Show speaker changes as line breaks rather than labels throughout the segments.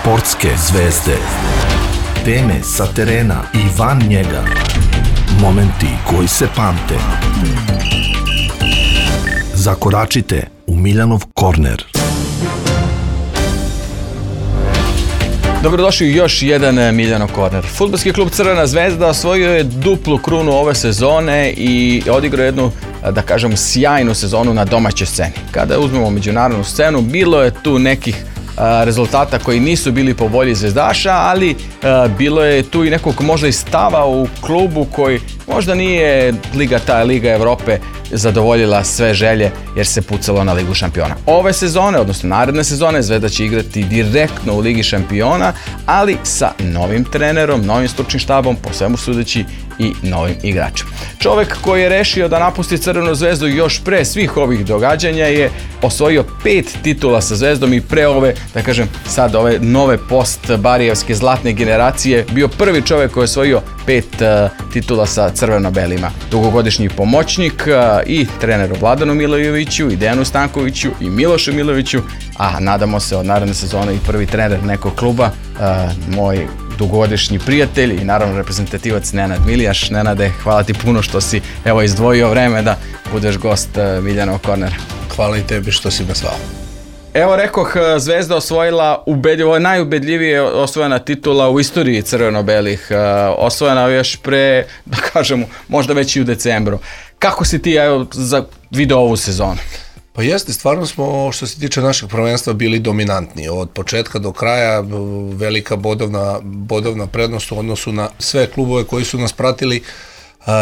Sportske zvezde. Teme sa terena i van njega. Momenti koji se pamte. Zakoračite u Miljanov korner.
Dobrodošli u još jedan Miljanov korner. Fudbalski klub Crvena zvezda osvojio je duplu krunu ove sezone i odigrao jednu, da kažem, sjajnu sezonu na domaćoj sceni. Kada uzmemo međunarodnu scenu, bilo je tu nekih rezultata koji nisu bili po volji zvezdaša, ali bilo je tu i nekog možda i stava u klubu koji možda nije Liga Evrope zadovoljila sve želje jer se pucalo na Ligu šampiona. Ove sezone, odnosno naredne sezone, Zvezda će igrati direktno u Ligi šampiona, ali sa novim trenerom, novim stručnim štabom, po svemu sudeći i novim igračem. Čovek koji je rešio da napusti Crvenu zvezdu još pre svih ovih događanja je osvojio 5 titula sa Zvezdom i pre ove, da kažem, sad ove nove post-barijevske zlatne generacije bio prvi čovek koji je osvojio 5 titula sa crveno-belima. Dugogodišnji pomoćnik i treneru Vladanu Milojeviću, i Dejanu Stankoviću, i Milošu Miloviću, a nadamo se od naredne sezone i prvi trener nekog kluba, moj dugogodišnji prijatelj i naravno reprezentativac Nenad Milijaš. Nenade, hvala ti puno što si izdvojio vreme da budeš gost Miljanov kornera.
Hvala i tebi što si me zvao.
Evo, rekoh, Zvezda osvojila ovo je najubedljivije osvojena titula u istoriji crveno-belih. Osvojena još pre, da kažemo, možda već i u decembru. Kako si ti video ovu sezonu?
Pa jeste, stvarno smo, što se tiče našeg prvenstva, bili dominantni. Od početka do kraja velika bodovna prednost u odnosu na sve klubove koji su nas pratili.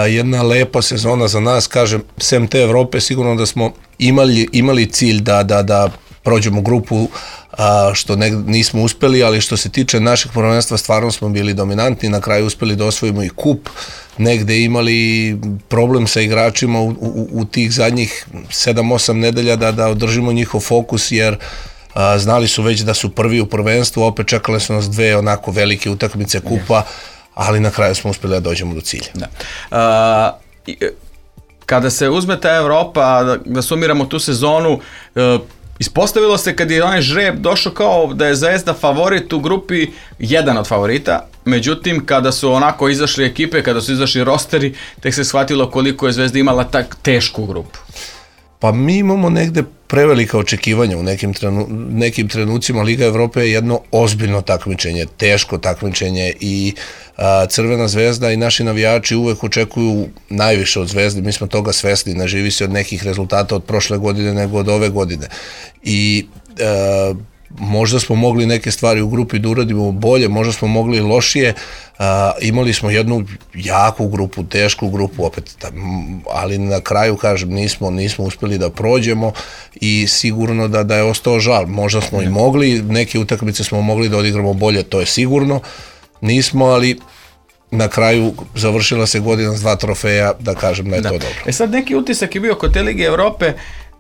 Jedna lepa sezona za nas, kažem, sem te Evrope, sigurno da smo imali cilj da prođemo grupu, što nismo uspeli, ali što se tiče našeg prvenstva stvarno smo bili dominantni, na kraju uspeli da osvojimo i kup, negde imali problem sa igračima u tih zadnjih 7-8 nedelja da održimo njihov fokus, jer znali su već da su prvi u prvenstvu, opet čekale su nas dve onako velike utakmice kupa, ali na kraju smo uspeli da dođemo do cilja.
Da. Kada se uzme ta Evropa, da sumiramo tu sezonu, ispostavilo se kad je onaj žreb došao kao da je Zvezda favorit u grupi, jedan od favorita, međutim kada su onako izašli ekipe, kada su izašli rosteri, tek se shvatilo koliko je Zvezda imala tak tešku grupu.
Pa mi imamo negde prevelika očekivanja u nekim trenucima. Liga Evrope je jedno ozbiljno takmičenje, teško takmičenje i Crvena zvezda i naši navijači uvek očekuju najviše od Zvezde, mi smo toga svesni, ne živi se od nekih rezultata od prošle godine nego od ove godine i možda smo mogli neke stvari u grupi da uradimo bolje, možda smo mogli lošije, imali smo jednu jaku grupu, tešku grupu opet, ali na kraju, kažem, nismo uspeli da prođemo i sigurno da je ostao žal. Možda smo i mogli, neke utakmice smo mogli da odigramo bolje, to je sigurno, nismo, ali na kraju završila se godina s 2 trofeja, da kažem da je to dobro.
Sad neki utisak je bio kod te Lige Evrope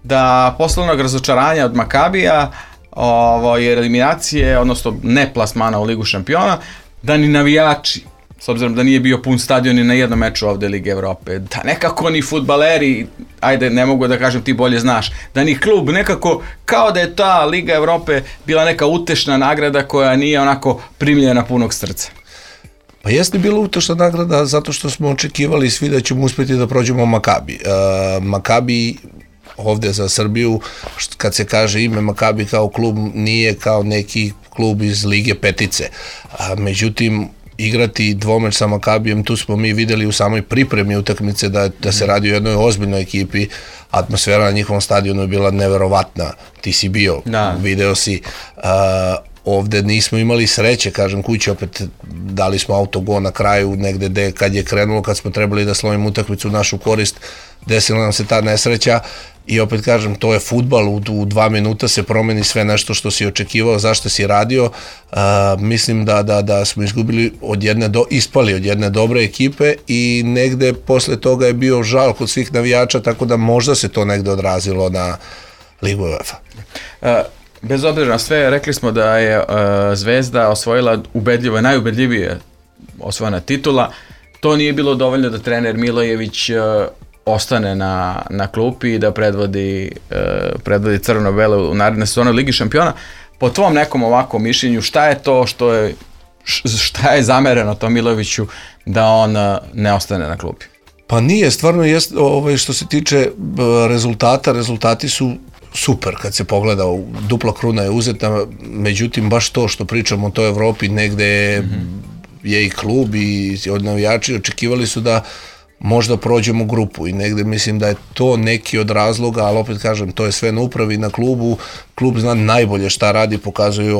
da posle onog razočaranja od Makabija, jer eliminacije, odnosno ne plasmana u Ligu šampiona, da ni navijači, s obzirom da nije bio pun stadion ni na jednom meču ovde Lige Evrope, da nekako ni fudbaleri, ajde, ne mogu da kažem, ti bolje znaš, da ni klub, nekako kao da je ta Liga Evrope bila neka utešna nagrada koja nije onako primljena punog srca.
Pa jeste bila utešna nagrada zato što smo očekivali svi da ćemo uspjeti da prođemo Makabi. Makabi ovde za Srbiju, kad se kaže ime Makabi kao klub, nije kao neki klub iz Lige petice. Međutim, igrati dvomeč sa Makabijem, tu smo mi videli u samoj pripremi utakmice da se radi o jednoj ozbiljnoj ekipi. Atmosfera na njihovom stadionu je bila neverovatna. Ti si bio, video si. Ovde nismo imali sreće, kažem, kući opet dali smo autogol na kraju negde kad je krenulo, kad smo trebali da slovimo utakmicu u našu korist, desila nam se ta nesreća i opet kažem, to je fudbal, u 2 minuta se promeni sve nešto što si očekivao, zašto si radio. Mislim da smo ispali od jedne dobre ekipe i negde posle toga je bio žal kod svih navijača, tako da možda se to negde odrazilo na Ligu UEFA.
Bez obzira na sve, rekli smo da je Zvezda osvojila najubedljivije osvojena titula. To nije bilo dovoljno da trener Milojević ostane na klupi i da predvodi crveno-belo u naredne sezone Ligi šampiona. po tvom nekom ovakvom mišljenju, šta je to šta je zamereno tom Milojeviću da on ne ostane na klubi?
Pa nije, stvarno što se tiče rezultati su super kad se pogleda, dupla kruna je uzeta, međutim baš to što pričamo o toj Evropi, negde je i klub i navijači očekivali su da možda prođemo grupu i negde mislim da je to neki od razloga, ali opet kažem, to je sve na upravi, na klubu. Klub zna najbolje šta radi, pokazuju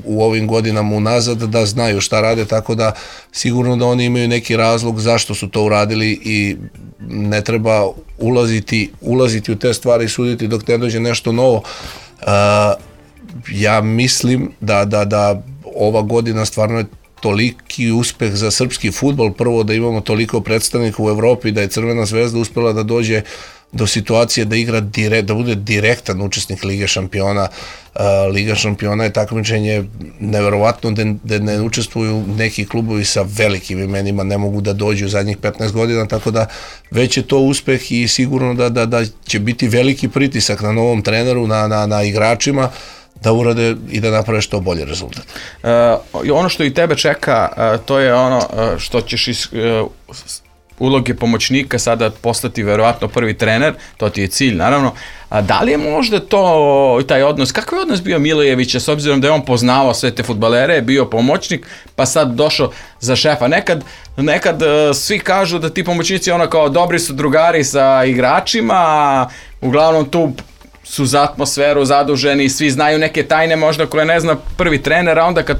u ovim godinama unazad da znaju šta rade, tako da sigurno da oni imaju neki razlog zašto su to uradili i ne treba ulaziti u te stvari i suditi dok ne dođe nešto novo. Ja mislim da ova godina stvarno je toliki uspeh za srpski fudbal, prvo da imamo toliko predstavnika u Evropi, da je Crvena zvezda uspela da dođe do situacije da igra da bude direktan učesnik Lige šampiona. Liga šampiona je takmičenje neverovatno da ne učestvuju neki klubovi sa velikim imenima, ne mogu da dođu u zadnjih 15 godina, tako da već je to uspeh i sigurno da će biti veliki pritisak na novom treneru, na igračima, da urade i da naprave što bolje rezultat.
Ono što i tebe čeka, to je ono što ćeš iz uloge pomoćnika sada postati verovatno prvi trener, to ti je cilj naravno. Da li je možda to taj odnos, kakav je odnos bio Milojevića s obzirom da je on poznavao sve te fudbalere, bio pomoćnik, pa sad došao za šefa. Nekad svi kažu da ti pomoćnici ono kao dobri su drugari sa igračima, uglavnom tu su za atmosferu zaduženi, svi znaju neke tajne možda koje ne zna prvi trener, a onda kad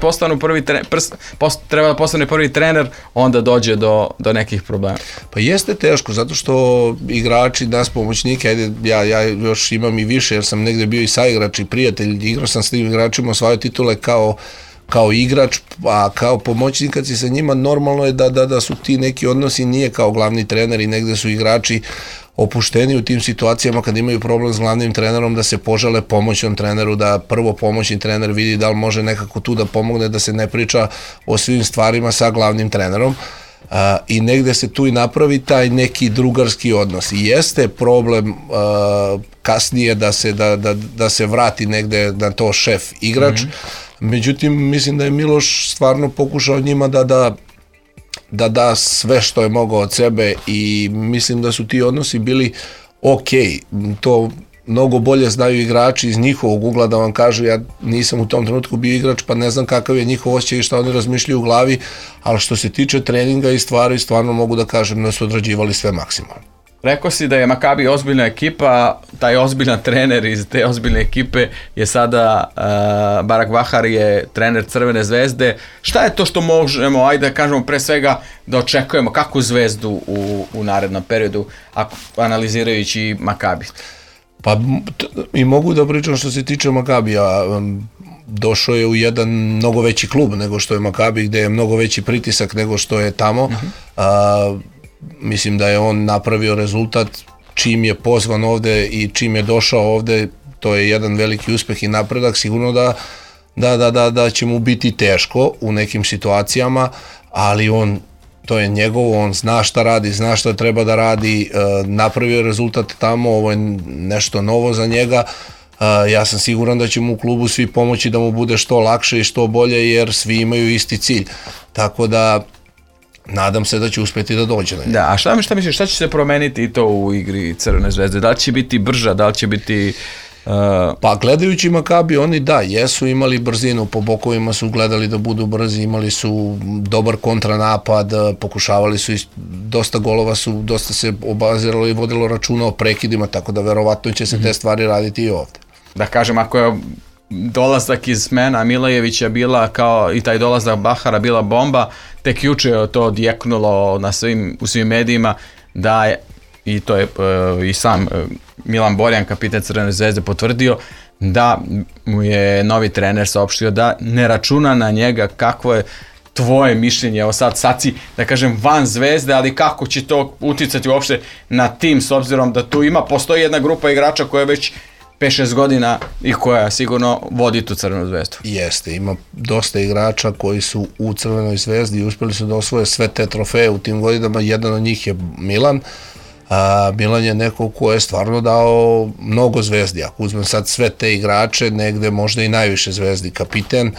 treba da postane prvi trener, onda dođe do nekih problema.
Pa jeste teško, zato što igrači, nas pomoćnike, ajde, ja još imam i više, jer sam negde bio i saigrač i prijatelj, igrao sam s tim igračima, osvajao titule kao igrač, a kao pomoćnik kad si sa njima, normalno je da su ti neki odnosi, nije kao glavni trener i negde su igrači opušteni u tim situacijama kad imaju problem s glavnim trenerom, da se požele pomoćnom treneru, da prvo pomoćni trener vidi da li može nekako tu da pomogne, da se ne priča o svim stvarima sa glavnim trenerom. I negde se tu i napravi taj neki drugarski odnos. I jeste problem kasnije da se vrati negde na to šef igrač, međutim mislim da je Miloš stvarno pokušao njima da sve što je mogao od sebe i mislim da su ti odnosi bili okej. To mnogo bolje znaju igrači iz njihovog ugla da vam kažu, ja nisam u tom trenutku bio igrač pa ne znam kakav je njihov osjećaj i šta oni razmišljaju u glavi, ali što se tiče treninga i stvari, stvarno mogu da kažem da su odrađivali sve maksimalno.
Rekao si da je Makabi ozbiljna ekipa, taj ozbiljan trener iz te ozbiljne ekipe je sada Barak Bahar, je trener Crvene zvezde. Šta je to što možemo, ajde da kažemo pre svega, da očekujemo, kakvu zvezdu u narednom periodu, analizirajući Makabi?
Pa i mogu da pričam što se tiče Makabija, došao je u jedan mnogo veći klub nego što je Makabi, gde je mnogo veći pritisak nego što je tamo. Mislim da je on napravio rezultat čim je pozvan ovde i čim je došao ovde, to je jedan veliki uspeh i napredak, sigurno da će mu biti teško u nekim situacijama, ali to je njegovo, on zna šta radi, zna šta treba da radi, napravio je rezultat tamo, ovo je nešto novo za njega. Ja sam siguran da će mu u klubu svi pomoći da mu bude što lakše i što bolje, jer svi imaju isti cilj, tako da nadam se da će uspeti da dođe na njega.
Da, a šta misliš, šta će se promeniti i to u igri Crvene zvezde? Da li će biti brža, da li će biti...
Pa gledajući Makabi, oni jesu imali brzinu, po bokovima su gledali da budu brzi, imali su dobar kontranapad, pokušavali su, dosta golova su, dosta se obaziralo i vodilo računa o prekidima, tako da verovatno će se te stvari raditi i ovde.
Da kažem, ako je dolazak iz smena Milojevića bila kao i taj dolazak Bahara bila bomba, tek juče je to odjeknulo u svim medijima, da je, i to je i sam Milan Borjan, kapitan Crvene zvezde, potvrdio da mu je novi trener saopštio da ne računa na njega. Kakvo je tvoje mišljenje? Evo sad si, da kažem, van zvezde, ali kako će to uticati uopšte na tim, s obzirom da tu postoji jedna grupa igrača koja već 5-6 godina i koja sigurno vodi tu Crvenu zvezdu.
Jeste, ima dosta igrača koji su u Crvenoj zvezdi i uspeli su da osvoje sve te trofeje u tim godinama, jedan od njih je Milan. Milan je neko ko je stvarno dao mnogo zvezdi. Ako uzmem sad sve te igrače, negde možda i najviše zvezdi. Kapiten,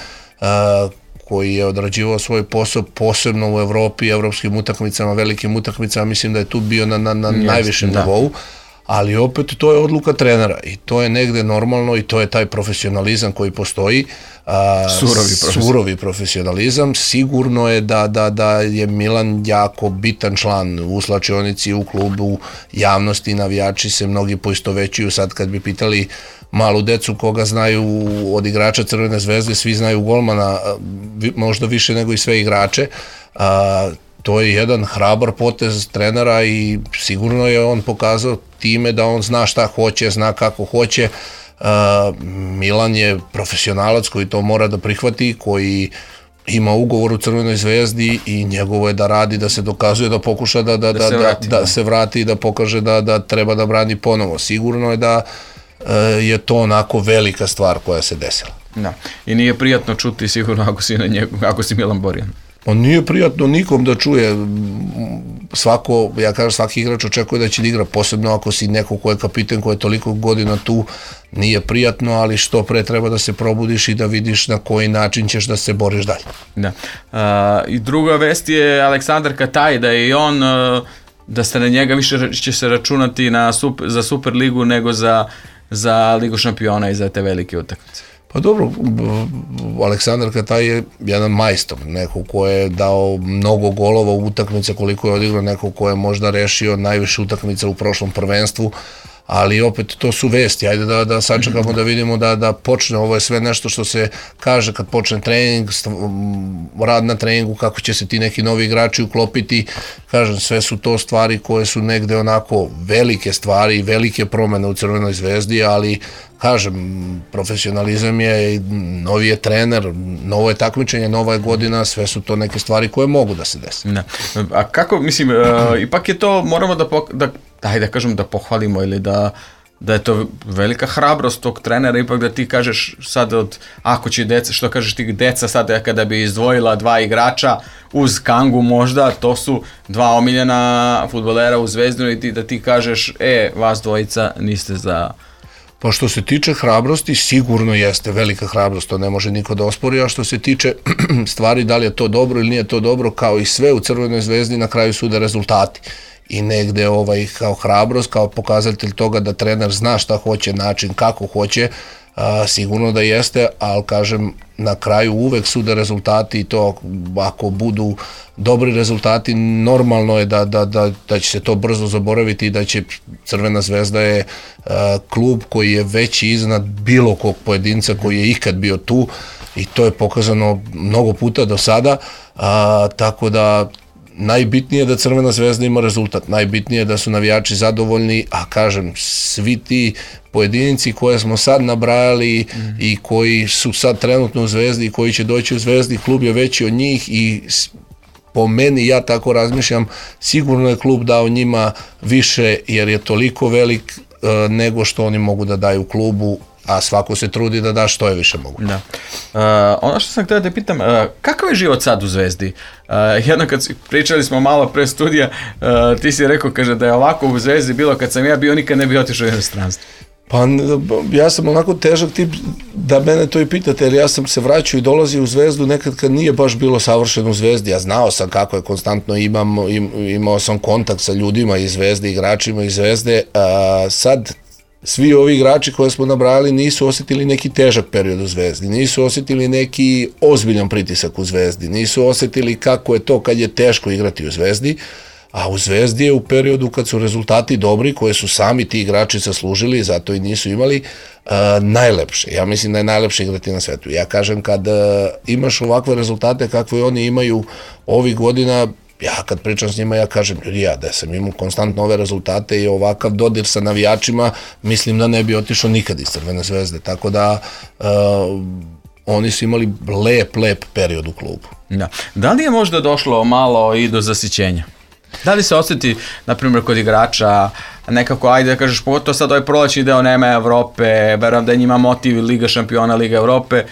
koji je odrađivao svoj posao posebno u Evropi, evropskim utakmicama, velikim utakmicama, mislim da je tu bio na najvišem nivou, ali opet to je odluka trenera i to je negde normalno i to je taj profesionalizam koji postoji. Surovi profesionalizam. Sigurno je da je Milan jako bitan član u slačionici, u klubu, javnosti, navijači se mnogi poistovećuju. Sad kad bi pitali malu decu koga znaju od igrača Crvene zvezde, svi znaju golmana, možda više nego i sve igrače. To je jedan hrabar potez trenera i sigurno je on pokazao time da on zna šta hoće, zna kako hoće. Milan je profesionalac koji to mora da prihvati, koji ima ugovor u Crvenoj zvezdi i njegovo je da radi, da se dokazuje, da pokuša da se vrati i da pokaže da treba da brani ponovo. Sigurno je da je to onako velika stvar koja se desila.
Da. I nije prijatno čuti sigurno ako si Milan Borjan.
On nije prijatno nikom da čuje. Svaki igrač očekuje da će da igra, posebno ako si neko ko je kapiten, ko je toliko godina tu, nije prijatno, ali što pre treba da se probudiš i da vidiš na koji način ćeš da se boriš dalje.
Da. I druga vest je Aleksandar Kataj, da je i on, da se na njega više će se računati za Superligu nego za Ligu šampiona i za te velike utakmice.
Pa dobro, Aleksandar Kataj je jedan majstor, neko ko je dao mnogo golova u utakmice koliko je odigrao, neko ko je možda rešio najviše utakmica u prošlom prvenstvu, ali opet to su vesti, ajde da sačekamo da vidimo da počne, ovo je sve nešto što se kaže kad počne trening, rad na treningu, kako će se ti neki novi igrači uklopiti, kažem, sve su to stvari koje su negde onako velike stvari, velike promene u Crvenoj zvezdi, ali kažem, profesionalizam je, novi je trener, novo je takmičenje, nova je godina, sve su to neke stvari koje mogu da se desi.
A kako, mislim, ipak je to, moramo da pohvalimo ili da je to velika hrabrost tog trenera, ipak da ti kažeš sad ako će deca, što kažeš ti deca sad kada bi izdvojila dva igrača uz Kangu možda, to su dva omiljena fudbalera u Zvezdinu i da ti kažeš, vas dvojica niste za...
Pa što se tiče hrabrosti, sigurno jeste velika hrabrost, to ne može niko da ospori, a što se tiče stvari, da li je to dobro ili nije to dobro, kao i sve u Crvenoj zvezdi, na kraju sude rezultati. I negde kao hrabrost, kao pokazatelj toga da trener zna šta hoće, način kako hoće, sigurno da jeste, ali kažem, na kraju uvek sude rezultati i to ako budu dobri rezultati, normalno je da će se to brzo zaboraviti i da će Crvena zvezda je klub koji je veći iznad bilo kog pojedinca koji je ikad bio tu i to je pokazano mnogo puta do sada, tako da najbitnije je da Crvena zvezda ima rezultat, najbitnije je da su navijači zadovoljni, a kažem, svi ti pojedinci koje smo sad nabrajali i koji su sad trenutno u Zvezdi i koji će doći u Zvezdi, klub je veći od njih i po meni, ja tako razmišljam, sigurno je klub dao njima više jer je toliko velik nego što oni mogu da daju klubu, a svako se trudi da da što je više moguće.
Ono što sam htio da pitam, kakav je život sad u Zvezdi? Jedno kad pričali smo malo pre studija, ti si rekao, kaže da je ovako u Zvezdi bilo kad sam ja bio, nikad ne bi otišao u inostranstvo.
Pa ja sam onako težak tip da mene to i pitate, jer ja sam se vraćao i dolazio u Zvezdu nekad kad nije baš bilo savršeno u Zvezdi, ja znao sam kako je konstantno, imao sam kontakt sa ljudima iz Zvezde, igračima iz Zvezde, sad svi ovi igrači koje smo nabrali nisu osjetili neki težak period u Zvezdi, nisu osjetili neki ozbiljan pritisak u Zvezdi, nisu osjetili kako je to kad je teško igrati u Zvezdi, a u Zvezdi je u periodu kad su rezultati dobri, koje su sami ti igrači zaslužili, zato i nisu imali, najlepše. Ja mislim da je najlepše igrati na svetu. Ja kažem, kad imaš ovakve rezultate kakve oni imaju ovih godina, ja kad pričam s njima, ja kažem, ljudi, da sam imao konstantno ove rezultate i ovakav dodir sa navijačima, mislim da ne bi otišao nikad iz Crvene zvezde, tako da oni su imali lep period u klubu.
Da li je možda došlo malo i do zasićenja? Da li se osjeti, na primjer, kod igrača nekako, ajde da kažeš, pogotovo sad ovaj prolećni deo nema Evrope, verujem da je njima motiv Liga šampiona, Liga Evrope,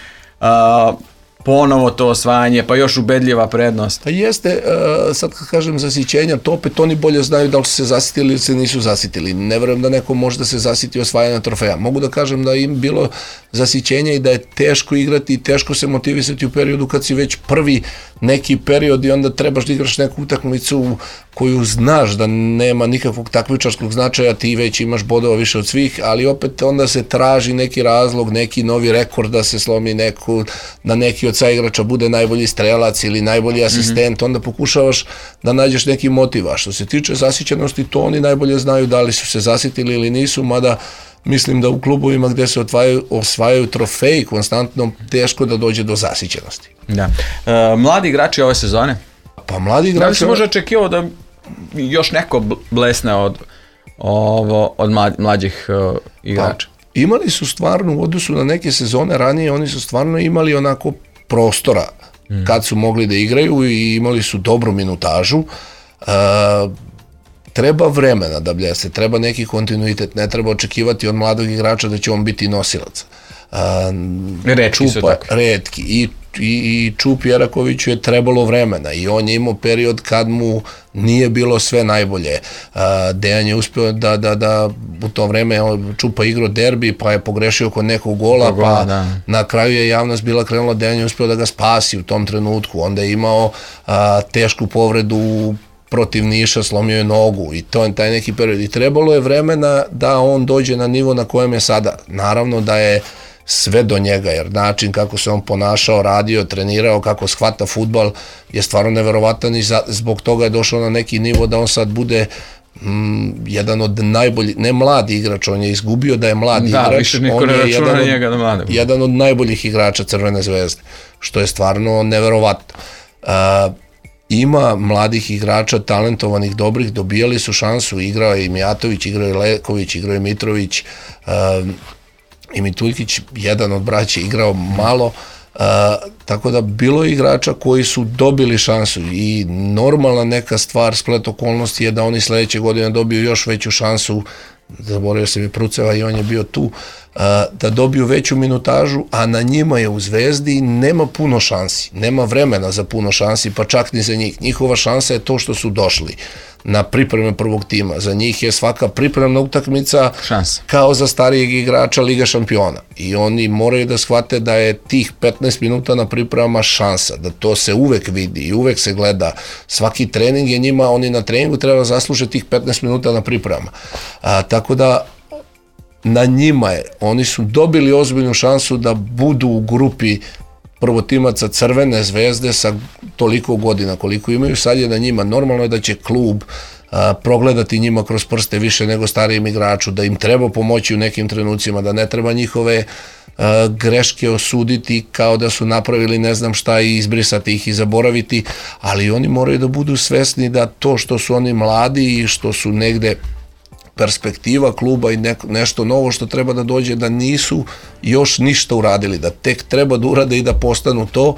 ponovo to osvajanje, pa još ubedljiva prednost.
Pa jeste, sad kad kažem zasićenja, to opet oni bolje znaju da li su se zasitili ili se nisu zasitili. Ne verujem da neko može da se zasiti osvajanja trofeja. Mogu da kažem da im bilo zasićenja i da je teško igrati i teško se motivisati u periodu kad si već prvi neki period i onda trebaš da igraš neku utakmicu koju znaš da nema nikakvog takmičarskog značaja, ti već imaš bodova više od svih, ali opet onda se traži neki razlog, neki novi rekord da se slomi da neki od saigrača bude najbolji strelac ili najbolji asistent, onda pokušavaš da nađeš neki motiv. A što se tiče zasićenosti, to oni najbolje znaju da li su se zasitili ili nisu, mada mislim da u klubovima gde se osvajaju trofeji konstantno, teško da dođe do zasićenosti.
Da. Mladi igrači ove sezone?
Pa mladi igrači...
Da li se može očekivao da još neko blesne od mlađih igrača?
Pa, imali su stvarno u odnosu na neke sezone ranije, oni su stvarno imali onako prostora kad su mogli da igraju i imali su dobru minutažu. Treba vremena da blese, treba neki kontinuitet, ne treba očekivati od mladog igrača da će on biti nosilac.
Retki su takvi.
Retki. I Čup Jerakoviću je trebalo vremena i on je imao period kad mu nije bilo sve najbolje. Dejan je uspio da u to vreme Čupa igrao derbi, pa je pogrešio kod nekog gola, pa na kraju je javnost bila krenula, Dejan je uspio da ga spasi u tom trenutku. Onda je imao tešku povredu protiv Niša, slomio je nogu i to je taj neki period. I trebalo je vremena da on dođe na nivo na kojem je sada. Naravno da je sve do njega, jer način kako se on ponašao, radio, trenirao, kako shvata fudbal je stvarno neverovatan i zbog toga je došao na neki nivo da on sad bude jedan od najboljih, ne mladi igrač, on je izgubio da je mladi igrač,
više niko ne računa na njega da mlade.
Jedan od najboljih igrača Crvene zvezde, što je stvarno neverovatno. Ima mladih igrača, talentovanih, dobrih, dobijali su šansu, igrao je i Mijatović, igrao je Leković, igrao je Mitrović, i Mituljkić, jedan od braća, igrao malo, tako da bilo je igrača koji su dobili šansu i normalna neka stvar, splet okolnosti je da oni sledeće godine dobiju još veću šansu, zaboravio se mi Pruceva i on je bio tu, da dobiju veću minutažu, a na njima je u Zvezdi nema puno šansi, nema vremena za puno šansi, pa čak ni za njih. Njihova šansa je to što su došli na pripreme prvog tima. Za njih je svaka pripremna utakmica kao za starijeg igrača Liga šampiona. I oni moraju da shvate da je tih 15 minuta na pripremama šansa, da to se uvek vidi i uvek se gleda. Svaki trening je njima, oni na treningu treba zaslužiti tih 15 minuta na pripremama. Tako da na njima je, oni su dobili ozbiljnu šansu da budu u grupi prvotimaca Crvene zvezde sa toliko godina koliko imaju, sad je na njima. Normalno je da će klub progledati njima kroz prste više nego starijem igraču, da im treba pomoći u nekim trenucima, da ne treba njihove greške osuditi kao da su napravili ne znam šta i izbrisati ih i zaboraviti, ali oni moraju da budu svesni da to što su oni mladi i što su negde perspektiva kluba i nešto novo što treba da dođe, da nisu još ništa uradili, da tek treba da urade i da postanu to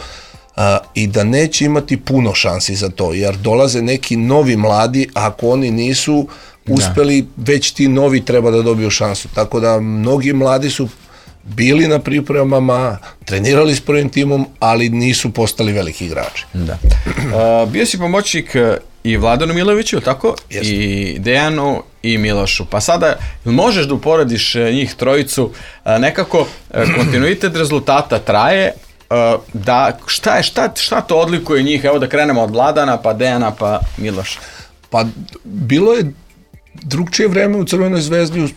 i da neće imati puno šansi za to, jer dolaze neki novi mladi, ako oni nisu uspeli, već ti novi treba da dobiju šansu. Tako da mnogi mladi su bili na pripremama, trenirali s prvim timom, ali nisu postali veliki igrači.
Da. Bio si pomoćnik i Vladanu Miloviću, tako?
Jeste.
I Dejanu i Milošu. Pa sada možeš da uporediš njih trojicu, nekako kontinuitet rezultata traje, da šta to odlikuje njih? Evo da krenemo od Vladana, pa Dejana, pa Miloša.
Pa bilo je drugčije vreme u Crvenoj zvezdi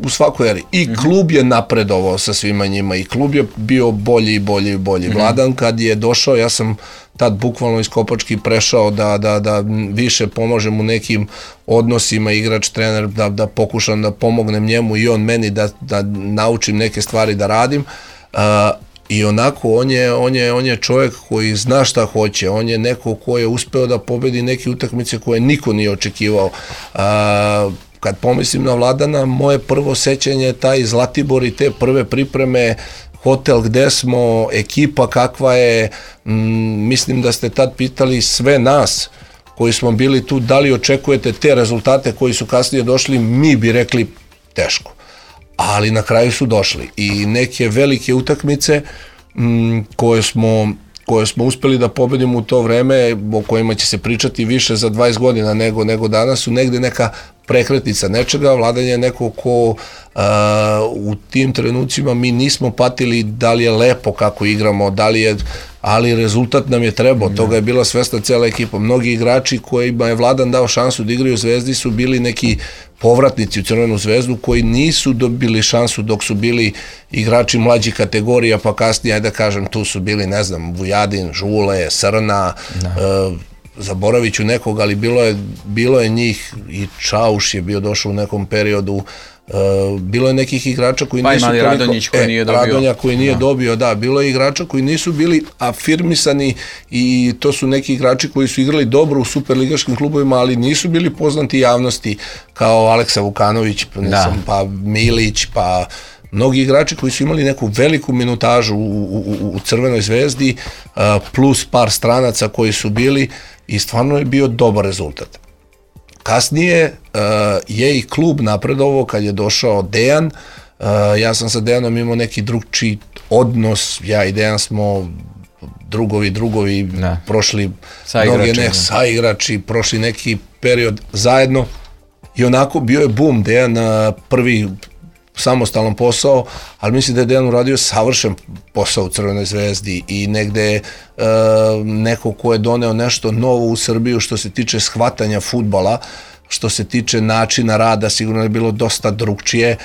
u svakoj eri. I klub je napredovao sa svima njima i klub je bio bolji i bolji i bolji. Vladan kad je došao, ja sam tad bukvalno iz Kopački prešao da više pomažem u nekim odnosima igrač, trener, da pokušam da pomognem njemu i on meni da naučim neke stvari da radim. I onako, on je čovjek koji zna šta hoće, on je neko ko je uspeo da pobedi neke utakmice koje niko nije očekivao. Kad pomislim na Vladana, moje prvo sećanje je taj Zlatibor i te prve pripreme, hotel gde smo, ekipa kakva je, mislim da ste tad pitali sve nas koji smo bili tu, da li očekujete te rezultate koji su kasnije došli, mi bi rekli teško. Ali na kraju su došli i neke velike utakmice koje smo koje smo uspeli da pobedimo u to vreme, o kojima će se pričati više za 20 godina nego danas, su negde neka prekretnica nečega. Vladan je neko ko u tim trenucima mi nismo patili da li je lepo kako igramo, da li je, ali rezultat nam je trebao, toga je bila svesna cela ekipa. Mnogi igrači kojima je Vladan dao šansu da igraju u Zvezdi su bili neki povratnici u Crvenu Zvezdu koji nisu dobili šansu dok su bili igrači mlađih kategorija, pa kasnije, ajde da kažem, tu su bili, ne znam, Vujadin, Žule, Srna, zaboravit ću nekog, ali bilo je njih, i Čauš je bio došao u nekom periodu, bilo je nekih igrača koji nisu toliko...
Radonjić koji nije dobio.
Radonja koji nije dobio, da, bilo je igrača koji nisu bili afirmisani i to su neki igrači koji su igrali dobro u superligaškim klubovima, ali nisu bili poznati javnosti kao Aleksa Vukanović, pa Milić, pa mnogi igrači koji su imali neku veliku minutažu u Crvenoj Zvezdi, plus par stranaca koji su bili, i stvarno je bio dobar rezultat. Kasnije je i klub napredovao kad je došao Dejan. Ja sam sa Dejanom imao neki drugčiji odnos, ja i Dejan smo drugovi, prošli saigrači, prošli neki period zajedno i onako bio je boom. Dejan prvi samostalan posao, ali mislim da je Dejan uradio savršen posao u Crvenoj Zvezdi i negde neko ko je doneo nešto novo u Srbiju što se tiče shvatanja fudbala, što se tiče načina rada, sigurno je bilo dosta drugčije.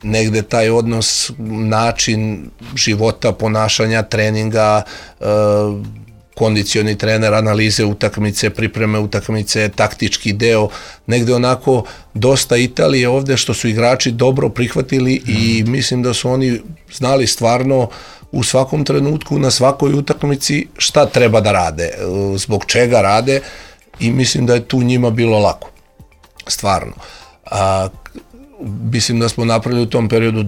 Negde taj odnos, način života, ponašanja, treninga, kondicioni trener, analize utakmice, pripreme utakmice, taktički deo, negde onako dosta Italije ovde što su igrači dobro prihvatili i mislim da su oni znali stvarno u svakom trenutku, na svakoj utakmici šta treba da rade, zbog čega rade, i mislim da je tu njima bilo lako. Stvarno. Mislim da smo napravili u tom periodu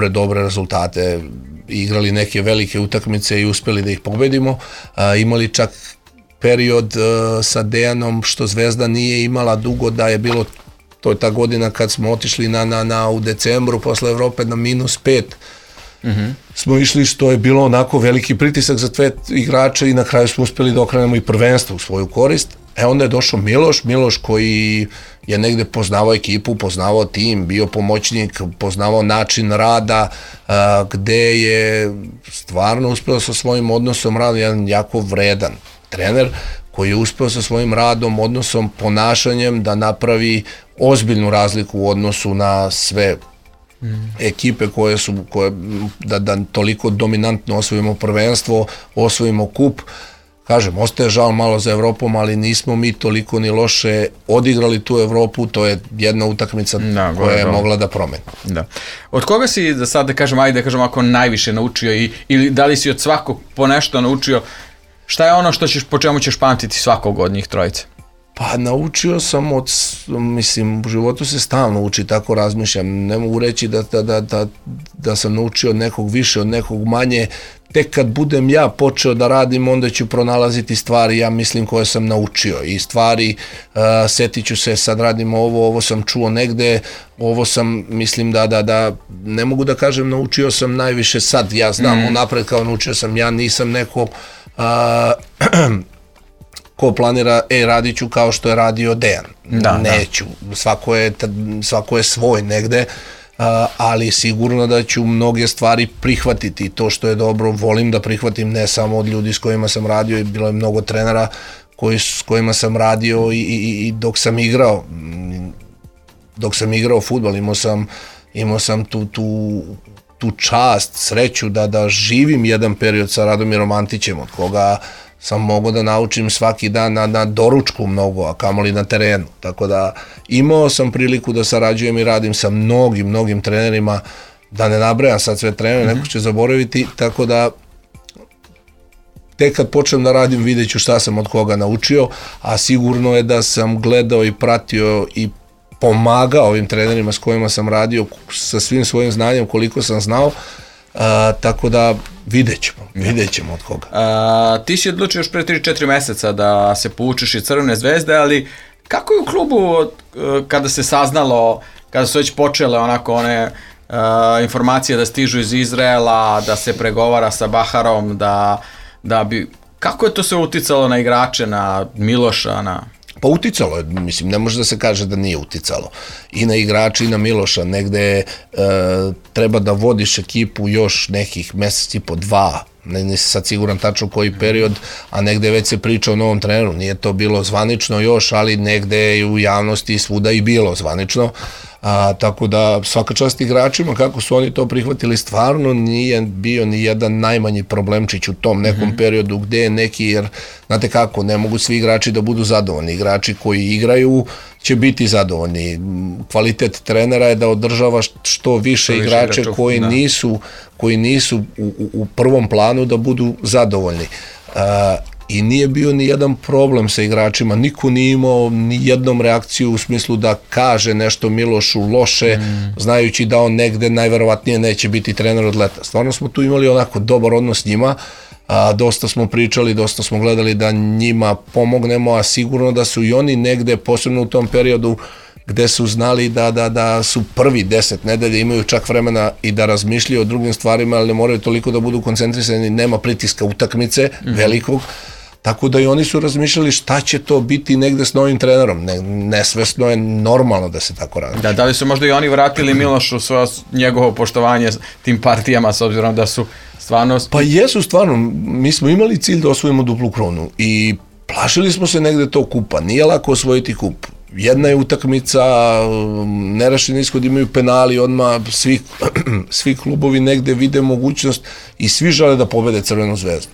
dobre rezultate, igrali neke velike utakmice i uspeli da ih pobedimo. Imali čak period sa Dejanom što Zvezda nije imala dugo, da je bilo, to je ta godina kad smo otišli u decembru posle Evrope na -5. Smo išli, što je bilo onako veliki pritisak za sve igrače i na kraju smo uspeli da okrenemo i prvenstvo u svoju korist. Onda je došao Miloš koji je negde poznavao ekipu, poznavao tim, bio pomoćnik, poznavao način rada, gde je stvarno uspeo sa svojim odnosom rada, jedan jako vredan trener koji je uspeo sa svojim radom, odnosom, ponašanjem da napravi ozbiljnu razliku u odnosu na sve ekipe da toliko dominantno osvojimo prvenstvo, osvojimo kup. Kažem, ostaje žal malo za Evropom, ali nismo mi toliko ni loše odigrali tu Evropu, to je jedna utakmica koja je mogla da promeni.
Da. Od koga si, da sad da kažem, ako najviše naučio ili da li si od svakog po nešto naučio, šta je ono po čemu ćeš pamtiti svakog od njih trojice?
Pa naučio sam mislim, u životu se stalno uči, tako razmišljam, ne mogu reći da sam naučio od nekog više, od nekog manje. Tek kad budem ja počeo da radim, onda ću pronalaziti stvari, ja mislim, koje sam naučio, i stvari, setit ću se, sad radim ovo sam čuo negde, ovo sam, mislim da ne mogu da kažem naučio sam najviše sad, ja znam unapred kao naučio sam, ja nisam neko ko planira, radit ću kao što je radio Dejan, neću, svako je svoj negde, ali sigurno da ću mnoge stvari prihvatiti. To što je dobro, volim da prihvatim, ne samo od ljudi s kojima sam radio, i bilo je mnogo trenera s kojima sam radio i dok sam igrao fudbal, imao sam tu čast, sreću da živim jedan period sa Radomirom Antićem, od koga sam mogao da naučim svaki dan na doručku mnogo, a kamoli na terenu. Tako da imao sam priliku da sarađujem i radim sa mnogim trenerima, da ne nabrajam sad sve trenere, neko će zaboraviti, tako da tek kad počnem da radim vidjet ću šta sam od koga naučio, a sigurno je da sam gledao i pratio i pomagao ovim trenerima s kojima sam radio sa svim svojim znanjem koliko sam znao, tako da vidjet ćemo od koga.
Ti si odlučio još pre 3-4 meseca da se povučeš iz Crvene Zvezde, ali kako je u klubu kada se saznalo, kada su već počele onako one informacije da stižu iz Izraela, da se pregovara sa Baharom, da bi... Kako je to sve uticalo na igrače, na Miloša, na...
Pa uticalo je, mislim, ne može da se kaže da nije uticalo. I na igrača i na Miloša, negde treba da vodiš ekipu još nekih meseci po 2, ne se sad siguran tačno koji period, a negde već se priča o novom treneru, nije to bilo zvanično još, ali negde je u javnosti svuda i bilo zvanično. Tako da svaka čast igračima kako su oni to prihvatili, stvarno nije bio ni jedan najmanji problemčić u tom nekom periodu gde je neki, jer znate kako, ne mogu svi igrači da budu zadovoljni, igrači koji igraju će biti zadovoljni, kvalitet trenera je da održava što više igrače koji nisu u prvom planu da budu zadovoljni. I nije bio ni jedan problem sa igračima, niko nije imao ni jednom reakciju u smislu da kaže nešto Milošu loše, znajući da on negde najverovatnije neće biti trener od leta. Stvarno smo tu imali onako dobar odnos s njima, dosta smo pričali, dosta smo gledali da njima pomognemo, a sigurno da su i oni negde, posebno u tom periodu, gde su znali da su prvi 10 nedelja, imaju čak vremena i da razmišljaju o drugim stvarima, ali ne moraju toliko da budu koncentrisani, nema pritiska utakmice velikog, tako da i oni su razmišljali šta će to biti negde s novim trenerom. Nesvesno je normalno da se tako radi.
Da li su možda i oni vratili Milošu njegovo poštovanje tim partijama, s obzirom da su stvarno...
Pa jesu stvarno, mi smo imali cilj da osvojimo duplu krunu i plašili smo se negde tog kupa, nije lako osvojiti kup. Jedna je utakmica, nerešeni ishod, imaju penali, odmah svi klubovi negde vide mogućnost i svi žele da pobede Crvenu zvezdu.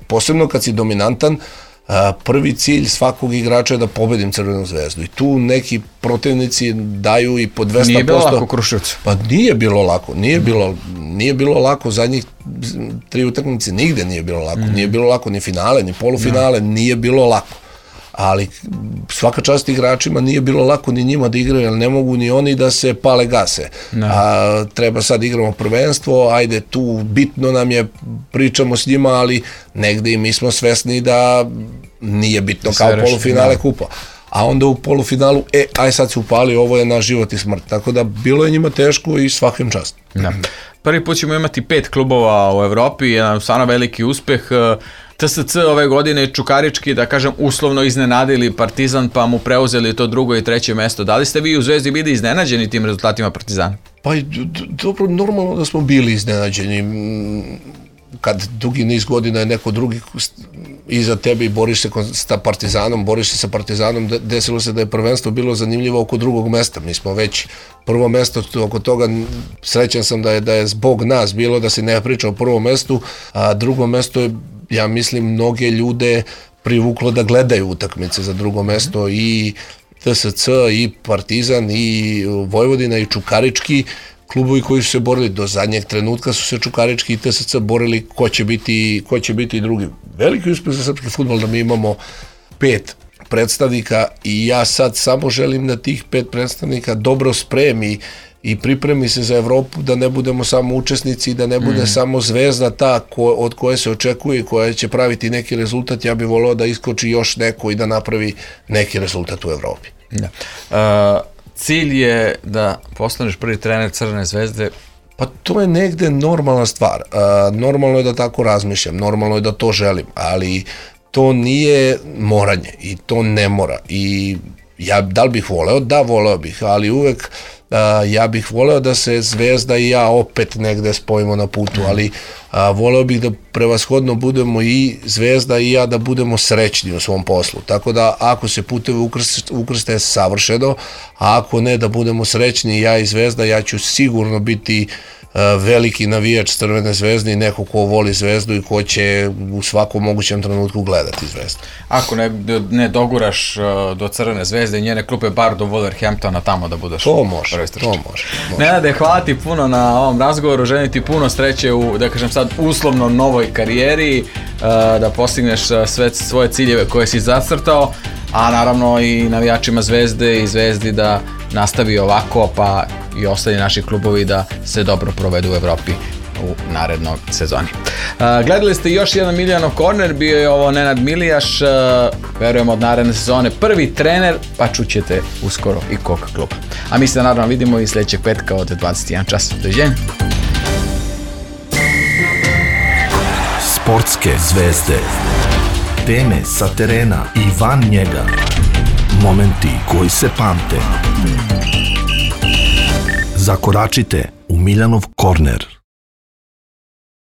Posebno kad si dominantan, prvi cilj svakog igrača je da pobedim Crvenu zvezdu. I tu neki protivnici daju i po 200%.
Nije bilo lako Kruševcu.
Pa nije bilo lako, zadnjih 3 utakmice nigde nije bilo lako. Nije bilo lako ni finale, ni polufinale, nije bilo lako. Ali svaka čast igračima, nije bilo lako ni njima da igraju, jer ne mogu ni oni da se pale gase. Treba sad igramo prvenstvo, ajde tu bitno nam je, pričamo s njima, ali negde i mi smo svesni da nije bitno kao polufinale kupa. A onda u polufinalu, aj sad se upali, ovo je naš život i smrt. Tako da bilo je njima teško i svakim čast.
Prvi put ćemo imati 5 klubova u Evropi, jedan stvarno veliki uspeh. TSC ove godine Čukarički, da kažem, uslovno iznenadili Partizan, pa mu preuzeli to 2. i 3. mesto. Da li ste vi u Zvezdi bili iznenađeni tim rezultatima Partizana?
Pa dobro, normalno da smo bili iznenađeni. Kad dugi niz godina je neko drugi iza tebe i boriš se sa Partizanom, desilo se da je prvenstvo bilo zanimljivo oko 2. mesta. Mi smo već prvo mesto, oko toga srećan sam da je zbog nas bilo da se ne priča o prvom mestu, a 2. mesto je, ja mislim, mnoge ljude privuklo da gledaju utakmice za 2. mesto, i TSC, i Partizan, i Vojvodina, i Čukarički, klubovi koji su se borili do zadnjeg trenutka, su se Čukarički i TSC borili ko će biti drugi. Veliki uspeh za srpski fudbal da mi imamo 5 predstavnika i ja sad samo želim da tih 5 predstavnika dobro spremi i pripremi se za Evropu, da ne budemo samo učesnici, da ne bude samo Zvezda ta od koje se očekuje, koja će praviti neki rezultat. Ja bih voleo da iskoči još neko i da napravi neki rezultat u Evropi.
Cilj je da postaneš prvi trener Crvene zvezde?
Pa to je negde normalna stvar. Normalno je da tako razmišljam, normalno je da to želim, ali to nije moranje i to ne mora. I ja da li bih voleo? Da, voleo bih, ali uvek ja bih voleo da se Zvezda i ja opet negde spojimo na putu, ali voleo bih da prevashodno budemo i Zvezda i ja da budemo srećni u svom poslu. Tako da ako se putevi ukrste, savršeno, a ako ne, da budemo srećni ja i Zvezda, ja ću sigurno biti veliki navijač Crvene zvezde i neko ko voli Zvezdu i ko će u svakom mogućem trenutku gledati Zvezdu.
Ako ne doguraš do Crvene zvezde i njene klupe, bar do Wolverhamptona tamo da budeš.
To može.
Nenade, hvala ti puno na ovom razgovoru, želim ti puno sreće u, da kažem sad, uslovno novoj karijeri, da postigneš sve svoje ciljeve koje si zacrtao, a naravno i navijačima Zvezde i Zvezdi da nastavi ovako, pa i ostali naši klubovi da se dobro provedu u Evropi. u narednoj sezoni. Gledali ste još jedan Miljanov korner, bio je ovo Nenad Milijaš, verujemo od naredne sezone prvi trener, pa čućete uskoro i kog kluba. A mi se naravno vidimo i sljedećeg petka od 21 čas. Doviđenja.
Sportske zvezde. Teme sa terena i van njega. Momenti koji se pamte. Zakoračite u Miljanov korner.